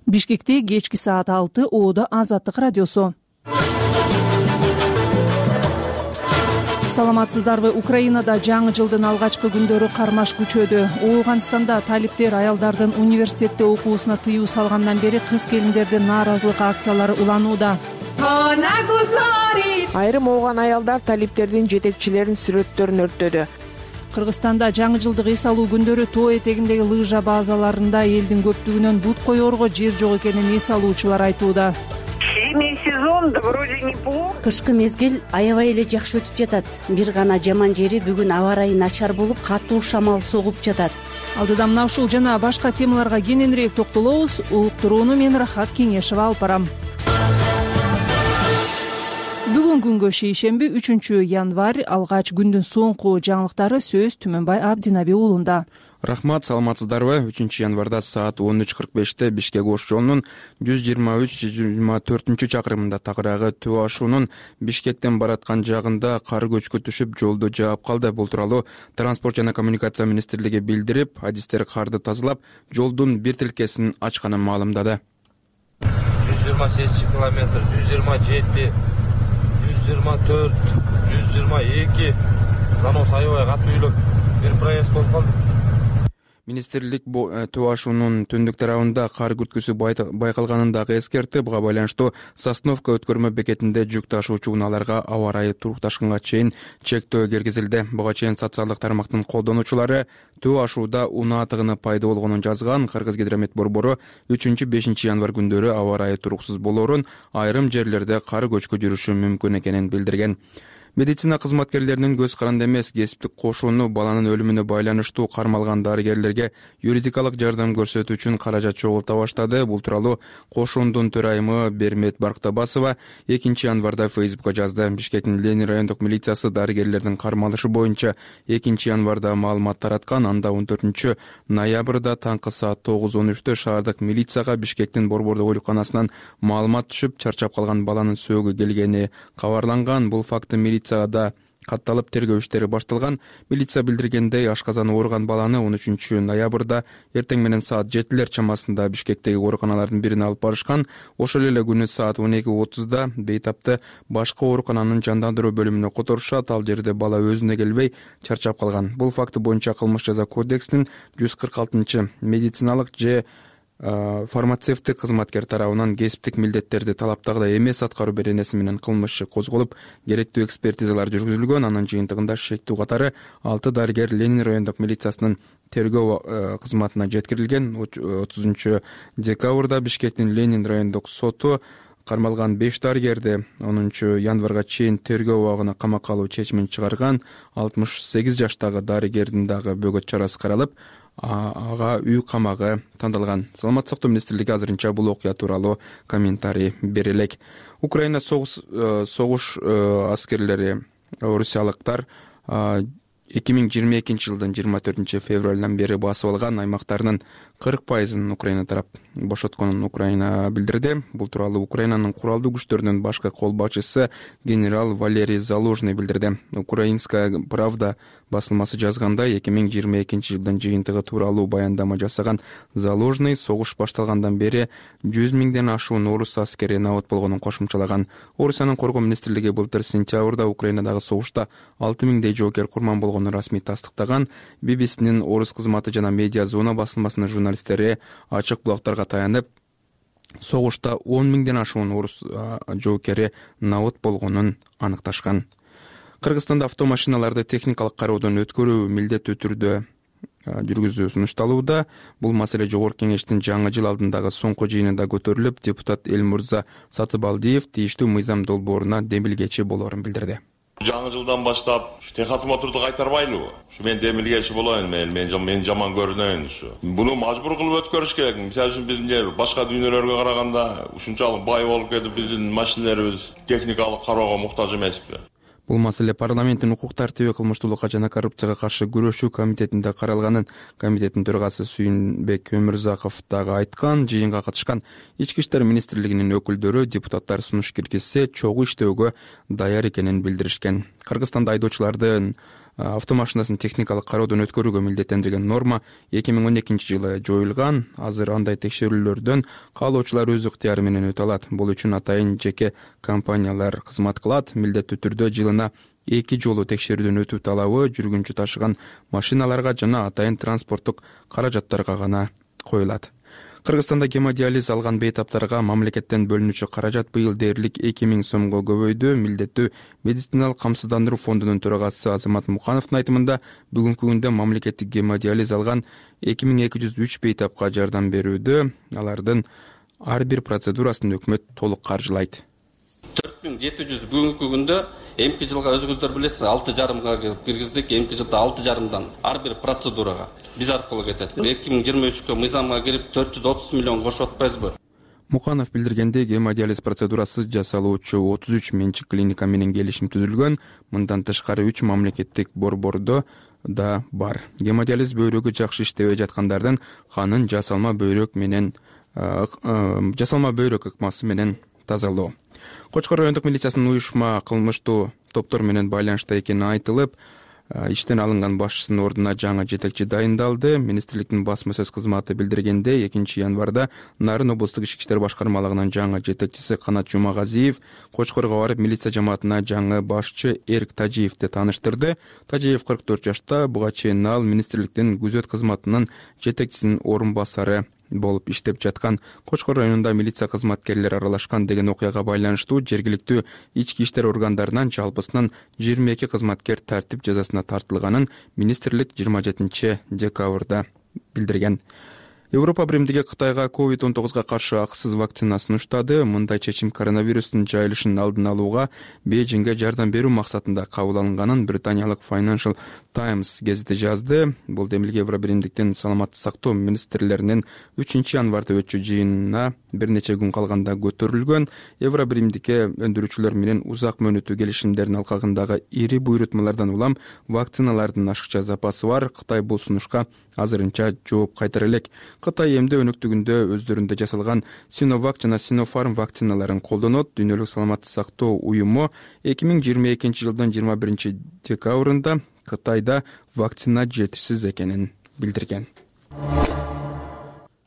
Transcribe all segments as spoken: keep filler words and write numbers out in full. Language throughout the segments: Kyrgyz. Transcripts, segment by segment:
Бишкекте кечки саат алты Оодо Азаттык радиосу. Саламатсыздарбы? Украинада жаңы жылдын алгачкы күндөрү кармаш күчөдү. Ооганстанда талиптер аялдардын университетте окуусуна тыюу салгандан бери кыз-келиндердин нааразылык акциялары уланууда. Айрым ооган аялдар талиптердин жетекчилеринин сүрөттөрүн өрттөдү. Кыргызстанда жаңы жылдык эс алуу күндөрү тоо этегиндеги лыжа базаларында элдин көптүгүнөн бут коерго жер жок экенин эс алуучулар айтууда. Зимний сезон да вроде неплохо. Кышкы мезгил аябай эле жакшы өтүп жатат. Бир гана жаман жери бүгүн аба ырайы начар болуп, катуу шамал согуп жатат. Алдыда мына ушул жана башка темаларга кененирээк токтолобуз. Уктурууну мен Рахат Кеңешева алып барам. Бүгүн күнгө шейшемби үчүнчү январь алгач күндүн соңку жаңылыктары сөз Түмөнбай Абдинаби уулунда. Рахмат, саламатсыздарбы? үчүнчү январда саат он үч кырк беште Бишкек Ош жолунун жүз жыйырма үч жүз жыйырма төртүнчү чакырымында тагыраагы Төө ашуунун Бишкектен бараткан жагында кар көчкү түшүп, жолду жаап калды. Бул тууралуу Транспорт жана коммуникация министрлиги билдирип, адистер карды тазалап, жолдун бир тилкесин ачканын маалымдады. жүз жыйырма сегизинчи километр, жүз жыйырма жети, жүз жыйырма төрт, жүз жыйырма эки занос аябай катуу үйлөп бир проезд болуп калды. Министрлик Төө ашуунун түндүк тарабында кар күрткүсү байкалганын дагы эскертти. Буга байланыштуу Сосновка өткөрмө бекетинде жүк ташуучу унааларга аба ырайы турукташканга чейин чектөө киргизилди. Буга чейин социалдык тармактын колдонуучулары Төө ашууда унаа тыгыны пайда болгонун жазган. Кыргызгидромет борбору үчүнчү бешинчи январь күндөрү аба ырайы туруксуз болоорун, айрым жерлерде кар көчкү жүрүшү мүмкүн экенин билдирген. Медицина кызматкерлеринин көз каранды эмес кесиптик кошууну баланын өлүмүнө байланыштуу кармалган дарыгерлерге юридикалык жардам көрсөтүү үчүн каражат чогулта баштады. Бул тууралуу кошуундун төрайымы Бермет Барктабасова экинчи январда Фейсбукка жазды. Бишкектин Ленин райондук милициясы дарыгерлердин кармалышы боюнча экинчи январда маалымат тараткан. Анда он төртүнчү ноябрда таңкы саат тогуз он үчтө шаардык милицияга Бишкектин борбордук ооруканасынан маалымат түшүп, чарчап калган баланын сөөгү келгени кабарланган. Бул факты милиция да катталып тергөө иштери башталган. Милиция билдиргендей, ашказаны ооруган баланы он үчүнчү ноябрда эртең менен саат жетилер чамасында Бишкектеги ооруканалардын бирине алып барышкан. Ошол эле күнү саат он эки отузда бейтапты башка оорукананын жандандыруу бөлүмүнө которушат. Ал жерде бала өзүнө келбей чарчап калган. Бул факты боюнча кылмыш жаза кодексинин жүз кырк алтынчы медициналык же фармацевттик кызматкер тарабынан кесиптик милдеттерди талаптагыдай эмес аткаруу беренеси менен кылмыш иши козголуп, керектүү экспертизалар жүргүзүлгөн. Анын жыйынтыгында шектүү катары алты дарыгер Ленин райондук милициясынын тергөө кызматына жеткирилген. отузунчу декабрда Бишкектин Ленин райондук соту кармалган беш дарыгерди онунчу январга чейин тергөө убагына камакка алуу чечимин чыгарган. алтымыш сегиз жаштагы дарыгердин дагы бөгөт чарасы каралып, ага үй камагы тандалган. Саламаттык сактоо министрлиги азырынча бул окуя тууралуу комментарий бере элек. Украина согуш согуш аскерлери, орусиялыктар эки миң жыйырма экинчи жылдын жыйырма төртүнчү февралдан бери басып алган аймактарынын кырк пайызын Украина тарап бошотконун Украина билдирди. Бул тууралуу Украинанын куралдуу күчтөрүнүн башкы кол башчысы генерал Валерий Залужный билдирди. Украинская правда басылмасы жазгандай, эки миң жыйырма экинчи жылдын жыйынтыгы тууралуу баяндама жасаган Залужный согуш башталгандан бери жүз миңден ашуун орус аскери набыт болгонун кошумчалаган. Орусиянын коргоо министрлиги былтыр сентябрда Украинадагы согушта алты миңдей жоокер курман болгонун расмий тастыктаган. би би синин орус кызматы жана медиа зона басылмасынын журналисттери ачык булактарга таянып, согушта он миңден ашуун орус жоокери набыт болгонун аныкташкан. Кыргызстанда автомашиналарды техникалык кароодон өткөрүү милдеттүү түрдө жүргүзүү сунушталууда. Бул маселе Жогорку Кеңештин жаңы жыл алдындагы соңку жыйынында көтөрүлүп, депутат Элмурза Сатыбалдиев тийиштүү мыйзам долбооруна демилгечи болоорун билдирди. Жаңы жылдан баштап техосмотрду кайтарбайлыбы? Ушу мен демилгечи болоюн, мен мен жаман көрүнөйүн ушу. Буну мажбур кылып өткөрүш керек. Мисалы үчүн биздин башка дүйнөлөргө караганда ушунчалык бай болуп кетип, биздин машиналарыбыз техникалык кароого муктаж эмеспи? Бул маселе парламенттин укук тартиби, кылмыштуулукка жана коррупцияга каршы күрөшүү комитетинде каралганын комитеттин төрагасы Сүйүнбек Өмүрзаков дагы айткан. Жыйынга катышкан Ички иштер министрлигинин өкүлдөрү депутаттар сунуш киргизсе чогуу иштөөгө даяр экенин билдиришкен. Кыргызстанда айдоочулардын автомашинасын техникалык кароодон өткөрүүгө милдеттендирген норма эки миң он экинчи жылы жоюлган. Азыр андай текшерүүлөрдөн каалоочулар өз ыктыяры менен өтө алат. Бул үчүн атайын жеке компаниялар кызмат кылат. Милдеттүү түрдө жылына эки жолу текшерүүдөн өтүү талабы жүргүнчү ташыган машиналарга жана атайын транспорттук каражаттарга гана коюлат. Кыргызстанда гемодиализ алган бейтаптарга мамлекеттен бөлүнүүчү каражат быйыл дээрлик эки миң сомго көбөйдү. Милдеттүү медициналык камсыздандыруу фондунун төрагасы Азамат Мукановдун айтымында бүгүнкү күндө мамлекеттик гемодиализ алган эки миң эки жүз үч бейтапка жардам берүүдө. Алардын ар бир процедурасын өкмөт толук каржылайт. төрт миң жети жүз бүгүнкү күндө эмки жылга өзүңүздөр билесиз алты жарымга киргиздик. Эмки жылда алты жарымдан ар бир процедурага биз аркылуу кетет. эки миң жыйырма үчкө мыйзамга кирип төрт жүз отуз миллион кошуп атпайбызбы? Муканов билдиргендей, гемодиализ процедурасы жасалуучу отуз үч менчик клиника менен келишим түзүлгөн. Мындан тышкары үч мамлекеттик борбордо да бар. Гемодиализ бөйрөгү жакшы иштебей жаткандардын канын жасалма бөйрөк менен жасалма бөйрөк ыкмасы менен тазалоо. Кочкор райондук милициясынын уюшма кылмыштуу топтор менен байланышта экени айтылып, иштен алынган башчысынын ордуна жаңы жетекчи дайындалды. Министрликтин басма сөз кызматы билдиргендей, экинчи январда Нарын облустук ички иштер башкармалыгынын жаңы жетекчиси Канат Жумагазиев Кочкорго барып милиция жамаатына жаңы башчы Эрк Тажиевди тааныштырды. Тажиев кырк төрт жашта. Буга чейин ал министрликтин күзөт кызматынын жетекчисинин орун басары болуп иштеп жаткан. Кочкор районунда милиция кызматкерлери аралашкан деген окуяга байланыштуу жергиликтүү ички иштер органдарынан жалпысынан жыйырма эки кызматкер тартип жазасына тартылганын министрлик жыйырма жетинчи декабрда билдирген. Европа биримдиги Кытайга ковид он тогузга каршы акысыз вакцина сунуштады. Мындай чечим коронавирустун жайылышын алдын алууга Бейжиңге жардам берүү максатында кабыл алынганын британиялык Financial Times гезити жазды. Бул демилге Евро биримдиктин саламаттык сактоо министрлеринин үчүнчү январда өтчү жыйынына бир нече күн калганда көтөрүлгөн. Евро биримдикке өндүрүүчүлөр менен узак мөөнөттүү келишимдердин алкагындагы ири буйрутмалардан улам вакциналардын ашыкча запасы бар. Кытай бул сунушка азырынча жооп кайтара элек. Кытай эмде өнөктүгүндө өздөрүндө жасалган Sinovac жана Sinopharm вакциналарын колдонот. Дүйнөлүк саламаттык сактоо уюму эки миң жыйырма экинчи жылдын жыйырма биринчи декабрында Кытайда вакцина жетишсиз экенин билдирген.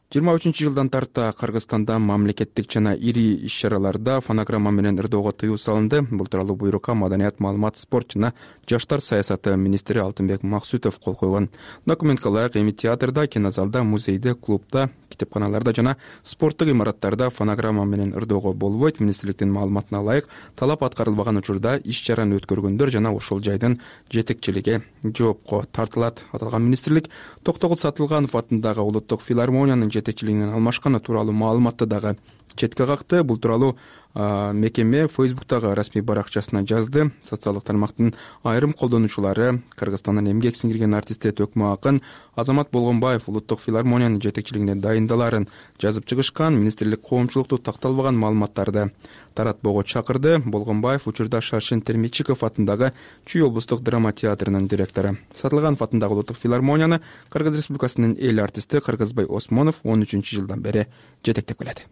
жыйырма үчүнчү жылдан тарта Кыргызстанда мамлекеттик жана ири иш-чараларда фонограмма менен ырдоого тыюу салынды. Бул тууралуу буйрукка Маданият, маалымат, спорт жана жаштар саясаты министри Алтынбек Максутов кол койгон. Документке ылайык эми театрда, кинозалда, музейде, клубда, китепканаларда жана спорттук имараттарда фонограмма менен ырдоого болбойт. Министрликтин маалыматына ылайык, талап аткарылбаган учурда иш-чараны өткөргөндөр жана ошол жайдын жетекчилиги жоопко тартылат. Аталган министрлик Токтогул Сатылганов атындагы улуттук филармониянын жетекчилигинен алмашканы тууралуу маалыматты дагы четке какты. Бул тууралуу мекеме Фейсбуктагы расмий баракчасына жазды. Социалдык тармактын айрым колдонуучулары Кыргызстандын эмгек сиңирген артисти Төкмө акын Азамат Болгонбаев улуттук филармониянын жетекчилигине дайындаларын жазып чыгышкан. Министрлик коомчулукту такталбаган маалыматтарды таратпоого чакырды. Болгонбаев учурда Шаршен Термичиков атындагы Чүй облустук драма театрынын директору. Сатылганов атындагы улуттук филармонияны Кыргыз Республикасынын эл артисти Кыргызбай Осмонов он үчүнчү жылдан бери жетектеп келет.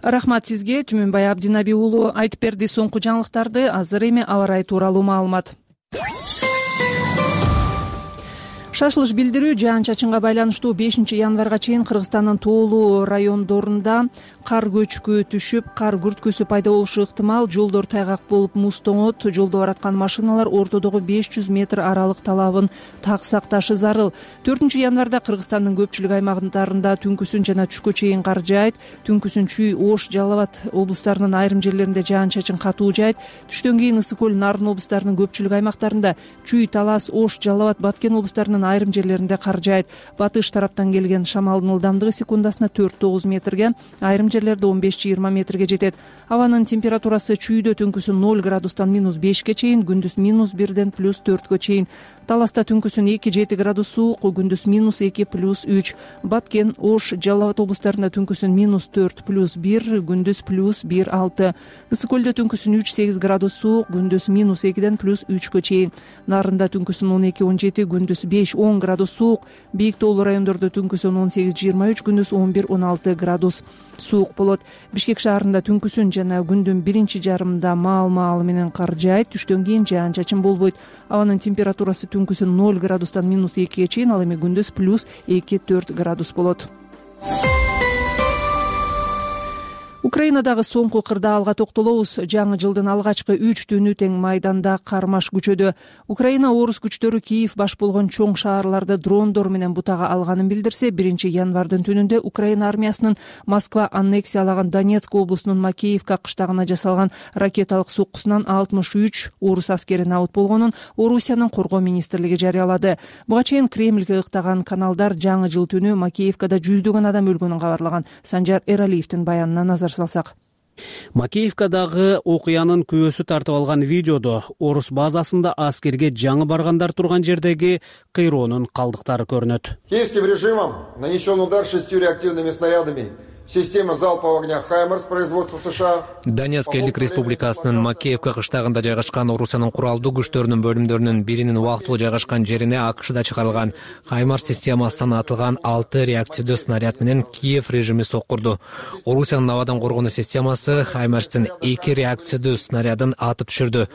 Рахмат сизге, Түмөнбай Абдинаби уулу айтып берди соңку жаңылыктарды. Азыр эми аба ырайы тууралуу маалымат. Шашылыш билдирүү жаан-чачынга байланыштуу бешинчи январга чейин Кыргызстандын тоолуу райондорунда кар көчкү түшүп, кар күрткүсү пайда болушу ыктымал. Жолдор тайгак болуп, муз тоңот. Жолдо бараткан машиналар ортодогу беш жүз метр аралык талабын так сакташы зарыл. төртүнчү январда Кыргызстандын көпчүлүк аймактарында түнкүсүн жана түшкө чейин кар жаайт. Түнкүсүн Чүй, Ош, Жалал Абад облустарынын айрым жерлеринде жаан-чачын катуу жаайт. Түштөн кийин Ысык көл, Нарын облустарынын көпчүлүк аймактарында, Чүй, Талас, Ош, Жалал Абад, Баткен облустарынын айрым жерлеринде кар жаайт. Батыш тараптан келген шамалдын ылдамдыгы секундасына төрт тогуз метрге, айрым жерлерде он беш жыйырма метрге жетет. Абанын температурасы Чүйдө түнкүсүн ноль градустан минус бешке чейин, күндүз минус бирден плюс төрткө чейин. Таласта түнкүсүн эки жети градус суук, күндүз минус эки плюс үч. Баткен, Ош, Жалал Абад облустарында түнкүсүн минус төрт плюс бир, күндүз плюс бир алты. Ысык көлдө түнкүсүн үч сегиз градус суук, күндүз минус экиден плюс үчкө чейин. Нарында түнкүсүн он эки он жети, күндүз беш он градус суук, бийик тоолуу райондордо түнкүсүн он сегиз жыйырма үч, күндүз он бир он алты градус суук болот. Бишкек шаарында түнкүсүн жана күндүн биринчи жарымында маал-маал менен кар жаайт, түштөн кийин жаан-чачын болбойт. Абанын температурасы түнкүсүн ноль градустан минус экиге чейин, ал эми күндүз плюс эки төрт градус болот. Украинадагы соңку кырдаалга токтолобуз. Жаңы жылдын алгачкы үч түнү тең майданда кармаш күчөдө. Украина орус күчтөрү Киев баш болгон чоң шаарларды дрондор менен бутага алганын билдирсе, биринчи январдын түнүндө Украина армиясынын Москва аннексиялаган Донецк облусунун Макеевка кыштагына жасалган ракеталык соккусунан алтымыш үч орус аскери набыт болгонун Орусиянын коргоо министрлиги жарыялады. Буга чейин Кремльге ыктаган каналдар жаңы жыл түнү Макеевкада жүздөгөн адам өлгөнүн кабарлаган. Санжар Эралиевдин баянына назар салсак. Макеевкадагы окуянын күбөсү тартып алган видеодо орус базасында аскерге жаңы баргандар турган жердеги кыйроонун калдыктары көрүнөт. Киевским режимом нанесен удар шестью реактивными снарядами система залпового огня «Хаймарс» производства США. Донецк элдик республикасынын Макеевка кыштагында жайгашкан Орусиянын куралдуу күчтөрүнүн бөлүмдөрүнүн биринин убактылуу жайгашкан жерине АКШда чыгарылган «Хаймарс» системасынан атылган алты реактивдүү снаряд менен Киев режими соккурду. Орусиянын абадан коргонуу системасы «Хаймарстын» эки реактивдүү снарядын атып түшүрдү.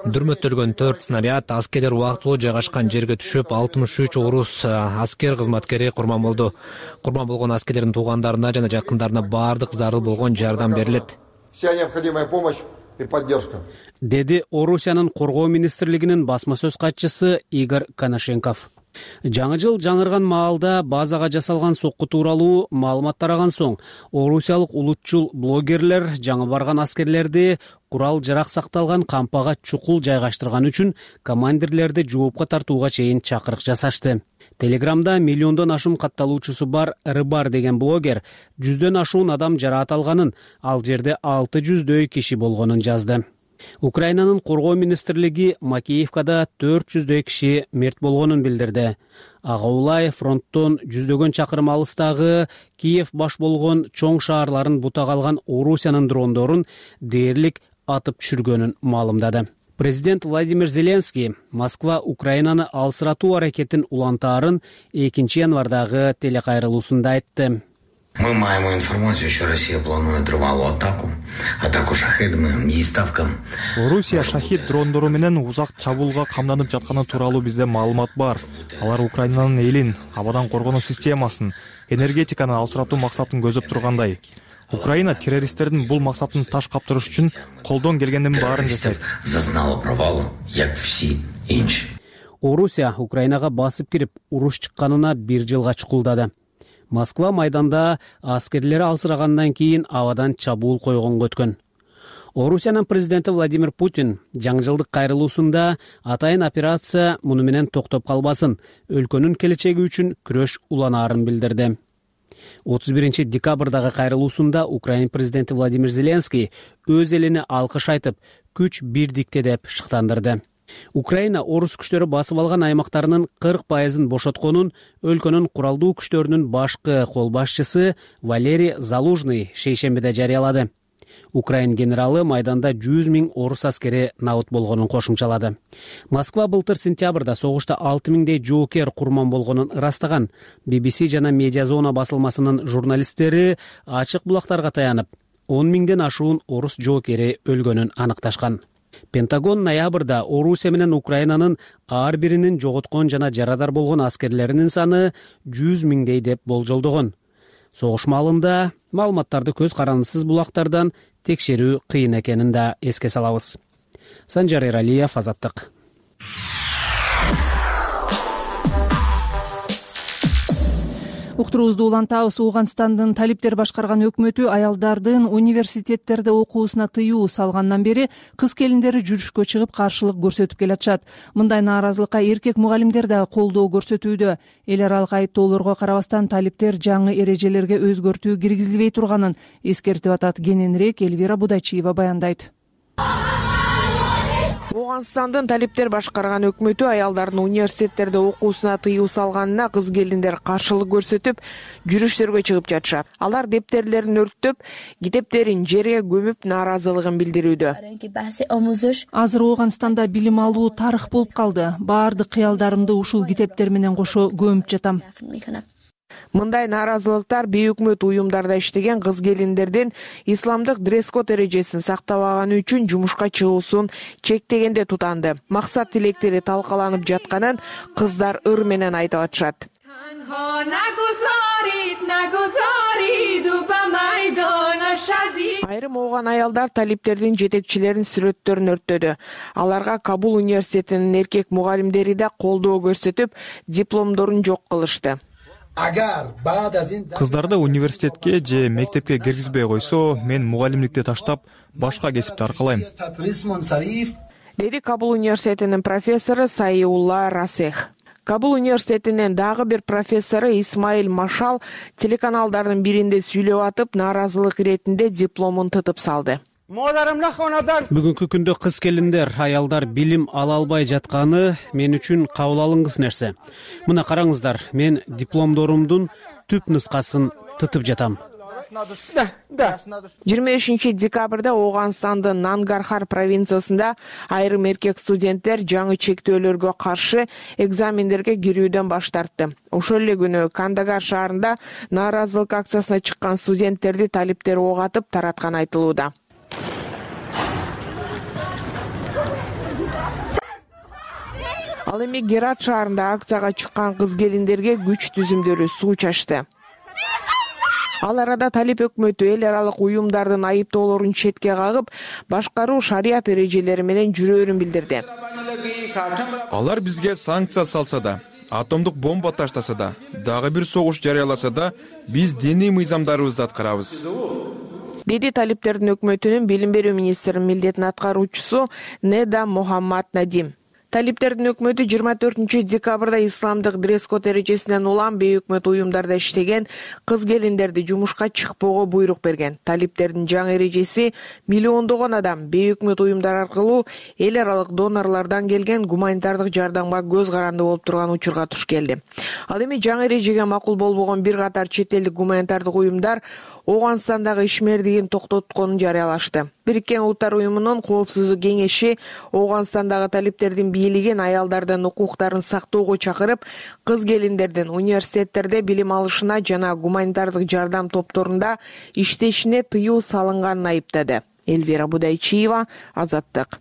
Дүрмөттөлгөн төрт снаряд аскерлер убактылуу жайгашкан жерге түшүп, алтымыш үч орус аскер кызматкери курман болду. Курман болгон аскерлердин туугандарына жана жакындарына баардык зарыл болгон жардам берилет. Вся необходимая помощь и поддержка. Деди Орусиянын коргоо министрлигинин басма сөз катчысы Игорь Коношенков. Жаңы жыл жаңырган маалда базага жасалган сокку тууралуу маалымат тараган соң, орусиялык улутчул блогерлер жаңы барган аскерлерди курал жарак сакталган кампага чукул жайгаштырган үчүн командирлерди жоопко тартууга чейин чакырык жасашты. Телеграмда миллиондон ашуун катталуучусу бар Рыбар деген блогер жүздөн ашуун адам жараат алганын, ал жерде алты жүздөй киши болгонун жазды. Украинанын коргоо министрлиги Макеевкада төрт жүздөй киши мерт болгонун билдирди. Ага улай фронттон жүздөгөн чакырым алыстагы Киев баш болгон чоң шаарларын бутага алган Орусиянын дрондорун дээрлик атып түшүргөнүн маалымдады. Президент Владимир Зеленский Москва Украинаны алсыратуу аракетин улантаарын экинчи январдагы телекайрылуусунда айтты. Мы маем информацию, что Россия планует трывалую атаку, атаку шахедами и ставкам. Орусия шахид дрондору менен узак чабуулга камданып жатканы тууралуу бизде маалымат бар. Алар Украинанын элин, абадан коргонуу системасын, энергетиканы алсыратуу максатын көзөп тургандай. Украина террористтердин бул максатын таш каптырыш үчүн колдон келгендин баарын жасайт. Зазнала провалу, як все инч. Орусия Украинага басып кирип, уруш чыкканына бир жылга чукулдады. Москва майданда аскерлери алсырагандан кийин абадан чабуул койгонго өткөн. Орусиянын президенти Владимир Путин жаңы жылдык кайрылуусунда атайын операция муну менен токтоп калбасын, өлкөнүн келечеги үчүн күрөш уланаарын билдирди. отуз биринчи декабрдагы кайрылуусунда Украина президенти Владимир Зеленский өз элине алкыш айтып, күч бирдикте деп шыктандырды. Украина орус күчтөрү басып алган аймактарынын кырк пайызын бошотконун өлкөнүн куралдуу күчтөрүнүн башкы кол башчысы Валерий Залужный шейшембиде жарыялады. Украин генералы майданда жүз миң орус аскери набыт болгонун кошумчалады. Москва былтыр сентябрда согушта алты миңдей жоокер курман болгонун ырастаган. би би си жана Медиазона басылмасынын журналисттери ачык булактарга таянып, он миңден ашуун орус жоокери өлгөнүн аныкташкан. Пентагон ноябрда Орусия менен Украинанын ар биринин жоготкон жана жарадар болгон аскерлеринин саны жүз миңдей деп болжолдогон. Согуш маалында маалыматтарды көз карандысыз булактардан текшерүү кыйын экенин да эске салабыз. Санжар Эралиев, Азаттык. Уктуруубузду улантабыз. Ооганстандын талиптер башкарган өкмөтү аялдардын университеттерде окуусуна тыюу салгандан бери кыз келиндери жүрүшкө чыгып каршылык көрсөтүп келатышат. Мындай нааразылыкка эркек мугалимдер да колдоо көрсөтүүдө. Эл аралык айыптоолорго карабастан талиптер жаңы эрежелерге өзгөртүү киргизилбей турганын эскертип атат. Кененирээк Элвира Будачиева баяндайт. Ооганстандын талиптер башкарган өкмөтү аялдардын университеттерде окуусуна тыюу салганына кыз келиндер каршылык көрсөтүп, жүрүштөргө чыгып жатышат. Алар дептерлерин өрттөп, китептерин жерге көмүп нааразылыгын билдирүүдө. Азыр Ооганстанда билим алуу тарых болуп калды. Баардык кыялдарымды ушул китептер менен кошо көмүп жатам. Мындай нааразылыктар бейөкмөт уюмдарда иштеген кыз келиндердин исламдык дресс-код эрежесин сактабаганы үчүн жумушка чыгуусун чектегенде тутанды. Максат тилектери талкаланып жатканын кыздар ыр менен айтып атышат. Айрым ооган аялдар талиптердин жетекчилеринин сүрөттөрүн өрттөдү. Аларга Кабул университетинин эркек мугалимдери да колдоо көрсөтүп, дипломдорун жок кылышты. Кыздарды университетке же мектепке киргизбей койсо, мен мугалимдикти таштап, башка кесипти аркалайм, деди Кабул университетинин профессору Сайулла Расех. Кабул университетинин дагы бир профессору Исмаил Машал телеканалдардын биринде сүйлөп атып, нааразылык иретинде дипломун тытып салды. Бүгүнкү күндө кыз келиндер, аялдар билим ала албай жатканы мен үчүн кабыл алынгыс нерсе. Мына караңыздар, мен дипломдорумдун түп нускасын тытып жатам. жыйырма бешинчи декабрда Ооганстандын Нангархар провинциясында айрым эркек студенттер жаңы чектөөлөргө каршы экзамендерге кирүүдөн баш тартты. Ошол эле күнү Кандагар шаарында нааразылык акциясына чыккан студенттерди талиптер ок атып таратканы айтылууда. Ал эми Герат шаарында акцияга чыккан кыз келиндерге күч түзүмдөрү суу чачты. Ал арада талип өкмөтү эл аралык уюмдардын айыптоолорун четке кагып, башкаруу шарият эрежелери менен жүрөөрүн билдирди. Алар бизге санкция салса да, атомдук бомба таштаса да, дагы бир согуш жарыяласа да, биз диний мыйзамдарыбызды аткарабыз, деди талиптердин өкмөтүнүн билим берүү министринин милдетин аткаруучусу Неда Мухаммад Надим. Талиптердин өкмөтү жыйырма төртүнчү декабрда исламдык дресс-код эрежесинен улам бейөкмөт уюмдарда иштеген кыз келиндерди жумушка чыкпоого буйрук берген. Талиптердин жаңы эрежеси миллиондогон адам бейөкмөт уюмдар аркылуу эл аралык донорлордон келген гуманитардык жардамга көз каранды болуп турган учурга туш келди. Ал эми жаңы эрежеге макул болбогон бир катар чет элдик гуманитардык уюмдар Ооганстандагы ишмердигин токтотконун жарыялашты. Бириккен Улуттар уюмунун коопсуздук кеңеши Ооганстандагы талиптердин бийлигин аялдардын укуктарын сактоого чакырып, кыз келиндердин университеттерде билим алышына жана гуманитардык жардам топторунда иштешине тыюу салынганын айыптады. Эльвира Будайчиева, Азаттык.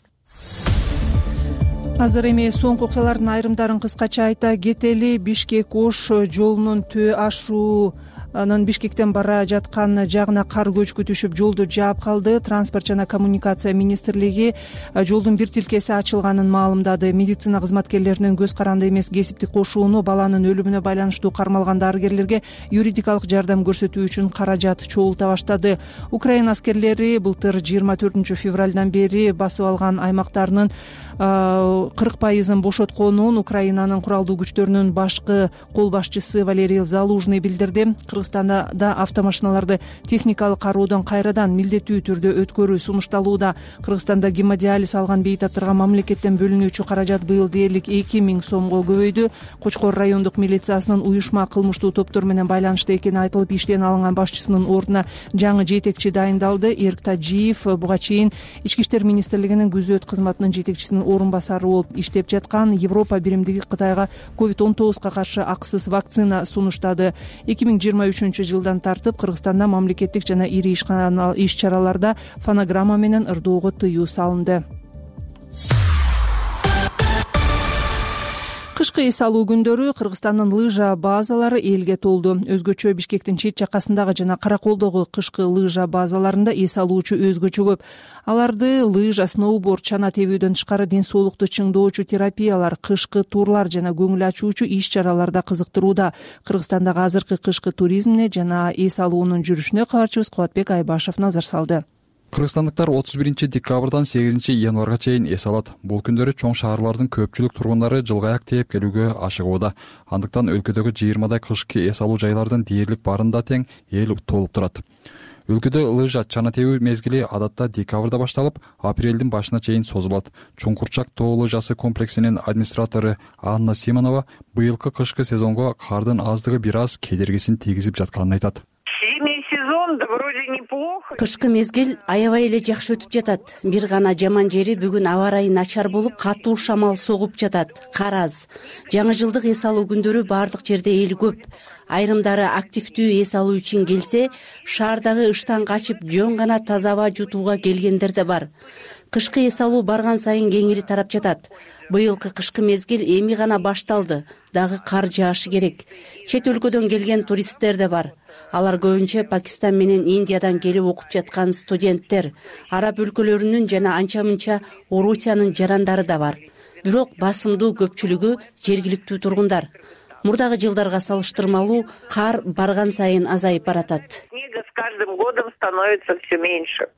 Азыр эми соңку окуялардын айрымдарын кыскача айта кетели. Бишкек-Ош жолунун төө ашуу анын Бишкектен бара жаткан жагына кар көчкү түшүп, жолду жаап калды. Транспорт жана коммуникация министрлиги жолдун бир тилкеси ачылганын маалымдады. Медицина кызматкерлеринин көз каранды эмес кесиптик кошууну баланын өлүмүнө байланыштуу кармалган дарыгерлерге юридикалык жардам көрсөтүү үчүн каражат чогулта баштады. Украина аскерлери былтыр жыйырма төртүнчү февралдан бери басып алган аймактарынын кырк пайызын бошотконун Украинанын куралдуу күчтөрүнүн башкы кол башчысы Валерий Залужный билдирди. Кыргызстанда да автомашиналарды техникалык кароодон кайрадан милдеттүү түрдө өткөрүү сунушталууда. Кыргызстанда гемодиализ алган бейтаптарга мамлекеттен бөлүнүүчү каражат быйыл дээрлик эки миң сомго көбөйдү. Кочкор райондук милициясынын уюшма кылмыштуу топтор менен байланыштуу экени айтылып, иштен алынган башчысынын ордуна жаңы жетекчи дайындалды. Эрк Тажиев буга чейин Ички иштер министрлигинин күзөт кызматынын жетекчисинин орун басары болуп иштеп жаткан. Европа биримдиги Кытайга ковид он тогузга каршы акысыз вакцина сунуштады. эки миң жыйырма үчүнчү жылдан тартып Кыргызстанда мамлекеттик жана ири иш чараларда фонограмма менен ырдоого тыюу салынды. Кышкы эс алуу күндөрү Кыргызстандын лыжа базалары элге толду. Өзгөчө Бишкектин чет жакасындагы жана Караколдогу кышкы лыжа базаларында эс алуучу өзгөчө көп. Аларды лыжа, сноуборд, чана тебүүдөн тышкары ден соолукту чыңдоочу терапиялар, кышкы турлар жана көңүл ачуучу иш чараларда кызыктырууда. Кыргызстандагы азыркы кышкы туризмине жана эс алуунун жүрүшүнө кабарчыбыз Кубатбек Айбашев назар салды. Кыргызстандыктар отуз биринчи декабрдан сегизинчи январга чейин эс алат. Бул күндөрү чоң шаарлардын көпчүлүк тургундары жылга аяк тээп келүүгө ашыгууда. Андыктан өлкөдөгү жыйырмадай кышкы эс алуу жайлардын дээрлик баарында тең эл толуп турат. өлкөдө лыжа чана тебүү мезгили адатта декабрда башталып апрелдин башына чейин созулат. Чуңкурчак тоо лыжасы комплексинин администратору Анна Симонова быйылкы кышкы сезонго кардын аздыгы бир аз кедергисин тийгизип жатканын айтат. Кышкы мезгил аябай эле жакшы өтүп жатат. Бир гана жаман жери бүгүн аба ырайы начар болуп, катуу шамал согуп жатат. Кар аз. Жаңы жылдык эс алуу күндөрү бардык жерде эл көп. Айрымдары активдүү эс алуу үчүн келсе, шаардагы ыштан качып жөн гана таза аба жутууга келгендер да бар. Кышкы эс алуу барган сайын кеңири тарап жатат. Быйылкы кышкы мезгил эми гана башталды. Дагы кар жаашы керек. Чет өлкөдөн келген туристтер да бар. Алар көбүнчө Пакистан менен Индиядан келип окуп жаткан студенттер, араб өлкөлөрүнүн жана анча-мынча Орусиянын жарандары да бар. Бирок басымдуу көпчүлүгү жергиликтүү тургундар. Мурдагы жылдарга салыштырмалуу кар барган сайын азайып баратат. Снега с каждым годом становится все меньше.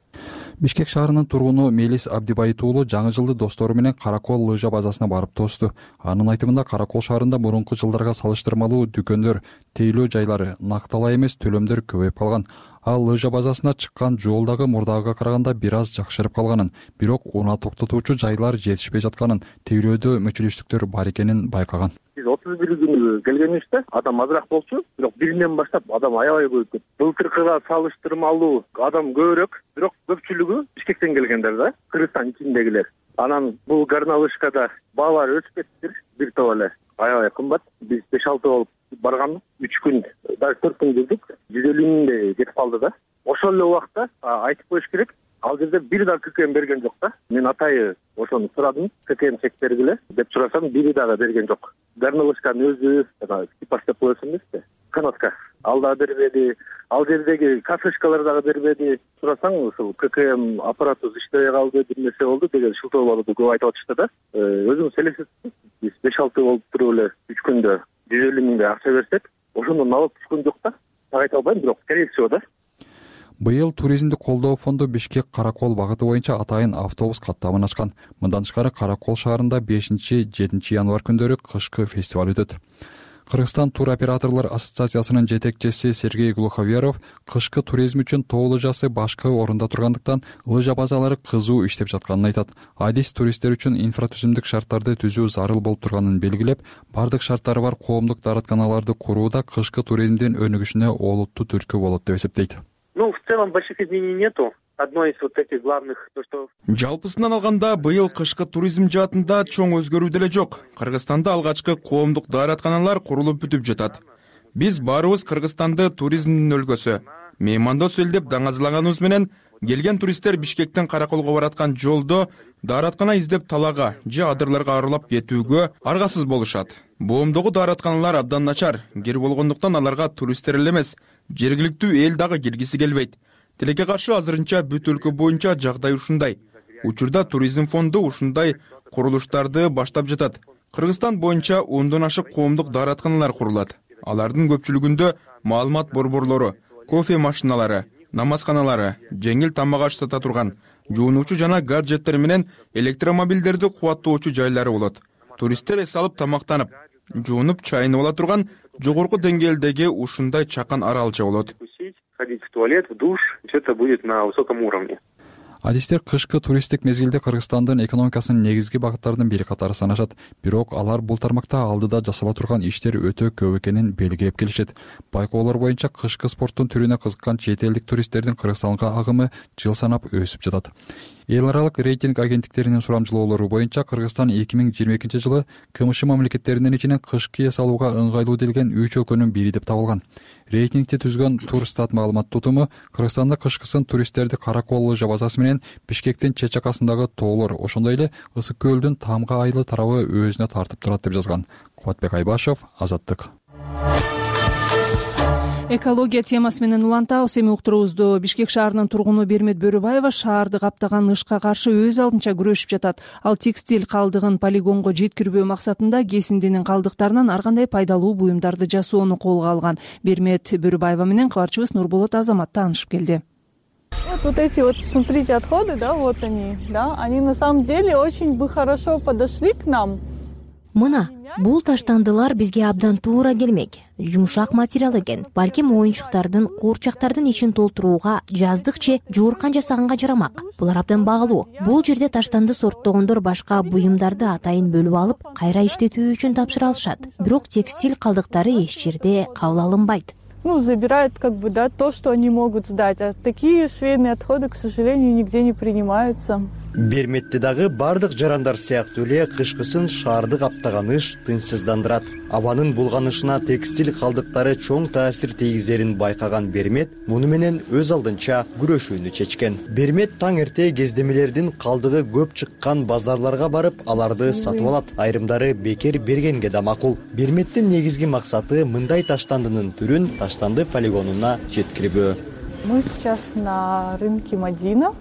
Бишкек шаарынын тургуну Мелис Абдибайыт уулу жаңы жылды достору менен Каракол лыжа базасына барып тоосту. Анын айтымында Каракол шаарында мурунку жылдарга салыштырмалуу дүкөндөр, тейлөө жайлары, накталай эмес төлөмдөр көбөйүп калган. Ал лыжа базасына чыккан жол дагы мурдагыга караганда бир аз жакшырып калганын, бирок унаа токтотуучу жайлар жетишпей жатканын, тейлөөдө мүчүлүштүктөр бар экенин байкаган. Биз отуз бир күнү келгенибизде адам азыраак болчу, бирок биринен баштап адам аябай көбөйүп кетти. Былтыркыга салыштырмалуу адам көбүрөөк, бирок көпчүлүгү Бишкектен келгендер да, Кыргызстан ичиндегилер. Анан бул горнолыжкада баалар өсүп кетти, бир топ эле аябай кымбат. Биз беш алты болуп барганбыз, үч күн, даже төрт күн жүрдүк. жүз элүү миңдей кетип калды да. Ошол эле убакта айтып коюш керек, ал жерде бир да ККМ берген жок да. Мен атайы ошону сурадым, ККМ чек бергиле деп сурасам, бири дагы берген жок. Горнолыжканын өзү, типаж деп коесуң эмеспи? Канатка. Ал дагы бербеди, ал жердеги кафешкалар дагы бербеди. Сурасаң, ушул ККМ аппараты иштебей калды, бир нерсе болду деген шылтоолорду көп айтып атышты да. Өзүңүз элестетиңиз, биз беш алты болуп туруп эле үч күндө жүз элүү миңдей акча берсек, ошондон алып түшкөн жок да. Так айта албайм, бирок скорее всего да. Быйыл туризмди колдоо фонду Бишкек Каракол багыты боюнча атайын автобус каттамын ачкан. Мындан тышкары Каракол шаарында бешинчи жетинчи январь күндөрү кышкы фестиваль өтөт. Кыргызстан тур операторлор ассоциациясынын жетекчиси Сергей Глуховеров кышкы туризм үчүн тоо лыжасы башкы орунда тургандыктан лыжа базалары кызуу иштеп жатканын айтат. Адис туристтер үчүн инфратүзүмдүк шарттарды түзүү зарыл болуп турганын белгилеп, бардык шарттары бар коомдук дааратканаларды курууда кышкы туризмдин өнүгүшүнө олуттуу түрткү болот деп эсептейт. Ну, в целом больших изменений нету. Одно из вот этих главных, то что... Жалпысынан алганда быйыл кышкы туризм жаатында чоң өзгөрүү деле жок. Кыргызстанда алгачкы коомдук дааратканалар курулуп бүтүп жатат. Биз баарыбыз Кыргызстанды туризмдин өлкөсү, меймандос эл деп даңазалаганыбыз менен келген туристтер Бишкектен Караколго бараткан жолдо даараткана издеп талаага же адырларга арылап кетүүгө аргасыз болушат. Боомдогу дааратканалар абдан начар, кир болгондуктан аларга туристтер эле эмес, жергиликтүү эл дагы киргиси келбейт. Тилекке каршы азырынча бүт өлкө боюнча жагдай ушундай. Учурда туризм фонду ушундай курулуштарды баштап жатат. Кыргызстан боюнча ондон ашык коомдук дааратканалар курулат. Алардын көпчүлүгүндө маалымат борборлору, кофе машиналары, намазканалары, жеңил тамак аш сата турган, жуунуучу жана гаджеттер менен электромобилдерди кубаттоочу жайлары болот. Туристтер эс алып тамактанып, жуунуп чайынып ала турган жогорку деңгээлдеги ушундай чакан аралча болот. Ходить в туалет, в душ, все это будет на высоком уровне. Адистер кышкы туристтик мезгилде Кыргызстандын экономикасынын негизги багыттарынын бири катары санашат. Бирок алар бул тармакта алдыда жасала турган иштер өтө көп экенин белгилеп келишет. Байкоолор боюнча кышкы спорттун түрүнө кызыккан чет элдик туристтердин Кыргызстанга агымы жыл санап өсүп жатат. Эл аралык рейтинг агенттиктеринин сурамжылоолору боюнча Кыргызстан эки миң жыйырма экинчи жылы КМШ мамлекеттеринин ичинен кышкы эс алууга ыңгайлуу делген үч өлкөнүн бири деп табылган. Рейтингти түзгөн Турстат маалымат тутуму Кыргызстанда кышкысын туристтерди Каракол лыжа базасы менен Бишкектин чет жакасындагы тоолор, ошондой эле Ысык көлдүн Тамга айлы тарабы өзүнө тартып турат деп жазган. Кубатбек Айбашев, Азаттык. Экология темасы менен улантабыз. Эми уктуруубузду Бишкек шаарынын тургуну Бермет Бөрүбаева шаарды каптаган ышка каршы өз алдынча күрөшүп жатат. Ал текстиль калдыгын полигонго жеткирбөө максатында кесиндинин калдыктарынан ар кандай пайдалуу буюмдарды жасоону колго алган. Бермет Бөрүбаева менен кабарчыбыз Нурболот Азамат таанышып келди. Вот, вот эти вот, смотрите, отходы, да, вот они, да, они на самом деле очень бы хорошо подошли к нам. Мына бул таштандылар бизге абдан туура келмек. Жумшак материал экен. Балким оюнчуктардын, куурчактардын ичин толтурууга, жаздык же жууркан жасаганга жарамак. Булар абдан багылуу. Бул жерде таштанды сорттогондор башка буюмдарды атайын бөлүп алып, кайра иштетүү үчүн тапшыра алышат. Бирок текстиль калдыктары эч жерде кабыл алынбайт. Ну, забирают как бы, да, то, что они могут сдать. А такие швейные отходы, к сожалению, нигде не принимаются. Берметте дагы бардык жарандар сыяктуу эле кышкысын шаарды каптаган ыш тынчсыздандырат. Абанын булганышына текстиль калдыктары чоң таасир тийгизерин байкаган Бермет муну менен өз алдынча күрөшүүнү чечкен. Бермет таң эрте кездемелердин калдыгы көп чыккан базарларга барып, аларды сатып алат. Айрымдары бекер бергенге да макул. Берметтин негизги максаты мындай таштандынын түрүн таштанды полигонуна жеткирүү. Мы сейчас на рынке Мадина.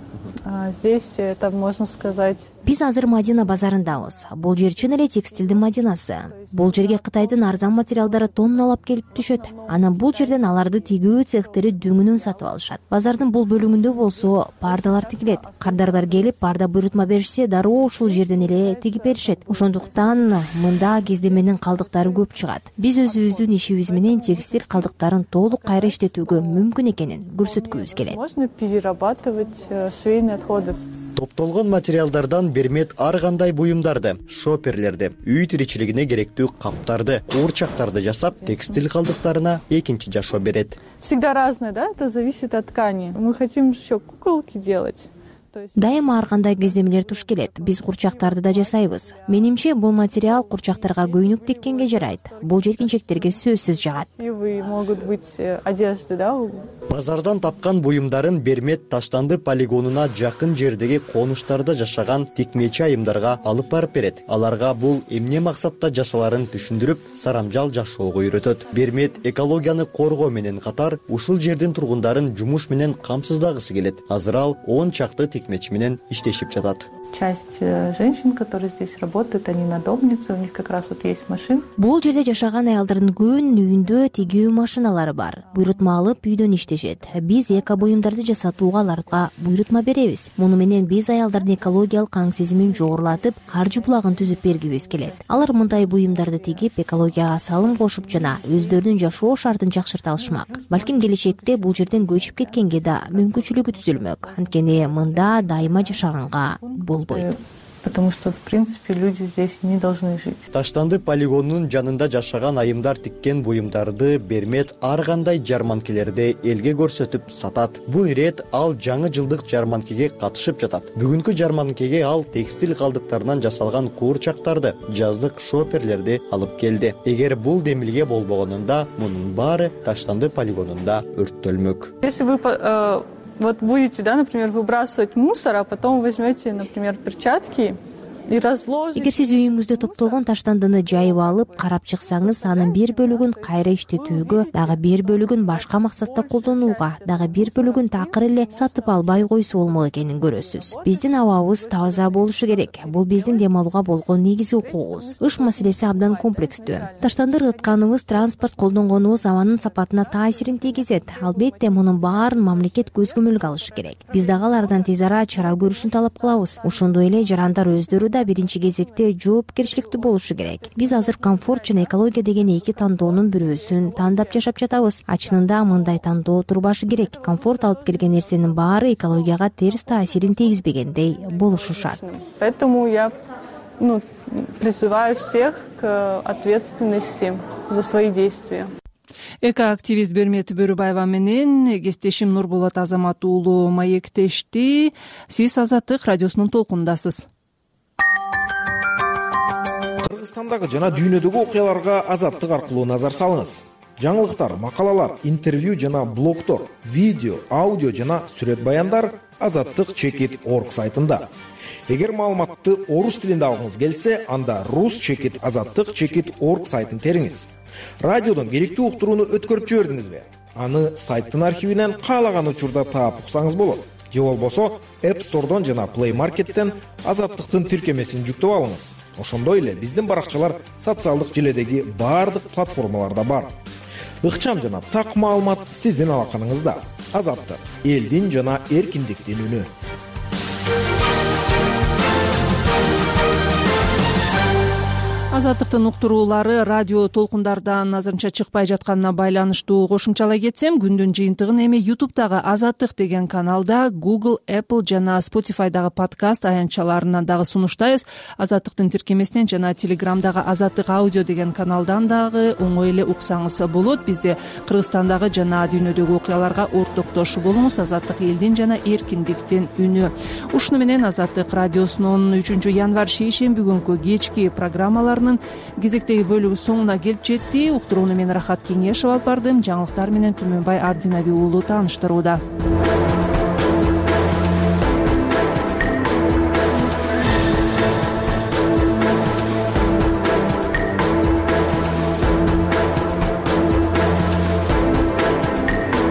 Здесь это можно сказать. Биз азыр Мадина базарындабыз. Бул жер чын эле текстилдин Мадинасы. Бул жерге Кытайдын арзан материалдары тонналап келип түшөт. Анан бул жерден аларды тигүү цехтери дүңүнүн сатып алышат. Базардын бул бөлүгүндө болсо пардалар тигилет. Кардарлар келип парда буйрутма беришсе, дароо ушул жерден эле тигип беришет. Ошондуктан мында кездеменин калдыктары көп чыгат. Биз өзүбүздүн ишибиз менен текстиль калдыктарын толук кайра иштетүүгө мүмкүн экенин көрсөткүбүз келет. Можно перерабатывать швейные отходы. Топтолгон материалдардан Бермет ар кандай буюмдарды, шоперлерди, үй тиричилигине керектүү каптарды, куурчактарды жасап, текстиль калдыктарына экинчи жашоо берет. Всегда разное, да? Это зависит от ткани. Мы хотим еще куколки делать. Дайыма ар кандай кездемелер туш келет. Биз курчактарды да жасайбыз. Менимче бул материал курчактарга көйнөк теккенге жарайт. Бул жеткинчектерге сөзсүз жагат. Могут быть одежды, да? Базардан тапкан буюмдарын Бермет таштанды полигонуна жакын жердеги конуштарда жашаган тикмечи айымдарга алып барып берет. Аларга бул эмне максатта жасаларын түшүндүрүп, сарамжал жашоого үйрөтөт. Бермет экологияны коргоо менен катар ушул жердин тургундарын жумуш менен камсыздагысы келет. Азыр ал он чакты тикмечи менен иштешип жатат. Часть женщин, которые здесь работают, они надомницы, у них как раз вот есть машина. Бул жерде жашаган аялдардын көбүнүн үйүндө тигүү машиналары бар. Буйрутма алып үйдөн иштешет. Биз эко буюмдарды жасатууга аларга буйрутма беребиз. Муну менен биз аялдардын экологиялык аң сезимин жогорулатып, каржы булагын түзүп бергибиз келет. Алар мындай буюмдарды тигип, экологияга салым кошуп жана өздөрүнүн жашоо шартын жакшырта алышмак. Балким келечекте бул жерден көчүп кеткенге да мүмкүнчүлүгү түзүлмөк. Анткени мында дайыма жашаганга болбойт. Потому что, в принципе, люди здесь не должны жить. Таштанды полигонунун жанында жашаган айымдар тиккен буюмдарды Бермет ар кандай жарманкелерди элге көрсөтүп сатат. Бул ирет ал жаңы жылдык жарманкеге катышып жатат. Бүгүнкү жарманкеге ал текстиль калдыктарынан жасалган куурчактарды, жаздык шоперлерди алып келди. Эгер бул демилге болбогонунда, мунун баары таштанды полигонунда өрттөлмөк. Если вы вот будете, да, например, выбрасывать мусор, а потом возьмете, например, перчатки Эгер сиз үйүңүздө топтолгон таштандыны жайып алып, карап чыксаңыз, анын бир бөлүгүн кайра иштетүүгө, дагы бир бөлүгүн башка максатта колдонууга, дагы бир бөлүгүн такыр эле сатып албай койсо болмок экенин көрөсүз. Биздин абабыбыз таза болушу керек. Бул биздин дем алууга болгон негизги укугубуз. Ыш маселеси абдан комплекстүү. Таштанды ыргытканыбыз, транспорт колдонгонубуз абанын сапатына таасирин тийгизет. Албетте мунун баарын мамлекет көз көмөлгө алышы керек. Биз дагы алардан тез ара чара көрүшүн талап кылабыз. Ошондой эле жарандар өздөрү биринчи кезекте жоопкерчиликтүү болушу керек. Биз азыр комфорт жана экология деген эки тандоонун бирөөсүн тандап жашап жатабыз. Чынында мындай тандоо турбашы керек. Комфорт алып келген нерсенин баары экологияга терс таасирин тийгизбегендей болушу шарт. Поэтому я ну, призываю всех к ответственности за свои действия. Эко-активист Бермет Бөрүбаева менен кесиптешим Нурболот Азамат уулу маектешти. Сиз Азаттык радиосунун толкунундасыз. Кыргызстандагы жана дүйнөдөгү окуяларга Азаттык аркылуу назар салыңыз. Жаңылыктар, макалалар, интервью жана блогдор, видео, аудио жана сүрөт баяндар азаттык чекит точка орг сайтында. Эгер маалыматты орус тилинде алгыңыз келсе, анда рус чекит азаттык чекит точка орг сайтын териңиз. Радиодон керектүү уктурууну өткөрүп жибердиңизби? Аны сайттын архивинен каалаган учурда таап уксаңыз болот. Же болбосо App Store'дон жана Play Market'тен азаттыктын тиркемесин жүктөп алыңыз. Ошондой эле биздин баракчалар социалдык желедеги баардык платформаларда бар. Ыкчам жана так маалымат сиздин алаканыңызда. Азаттык — элдин жана эркиндиктин үнү. азаттыктын уктуруулары радио толкундардан азырынча чыкпай жатканына байланыштуу кошумчалай кетсем, күндүн жыйынтыгын эми ютубтагы азаттык деген каналда, Google, Apple жана Spotify'дагы подкаст аянтчаларынан дагы сунуштайбыз. Азаттыктын тиркемесинен жана Телеграмдагы азаттык аудио деген каналдан дагы оңой эле уксаңыз болот. Бизде Кыргызстандагы жана дүйнөдөгү окуяларга ортоктош болуңуз. Азаттык элдин жана эркиндиктин үнү. Ушуну менен Азаттык радиосунун үчүнчү январь шейшемби күнкү кечки программаларынын кезектеги бөлүгү соңуна келип жетти. Уктурууну мен Рахат Кеңешев алып бардым. Жаңылыктар менен Түмөнбай Абдинаби уулу тааныштырууда.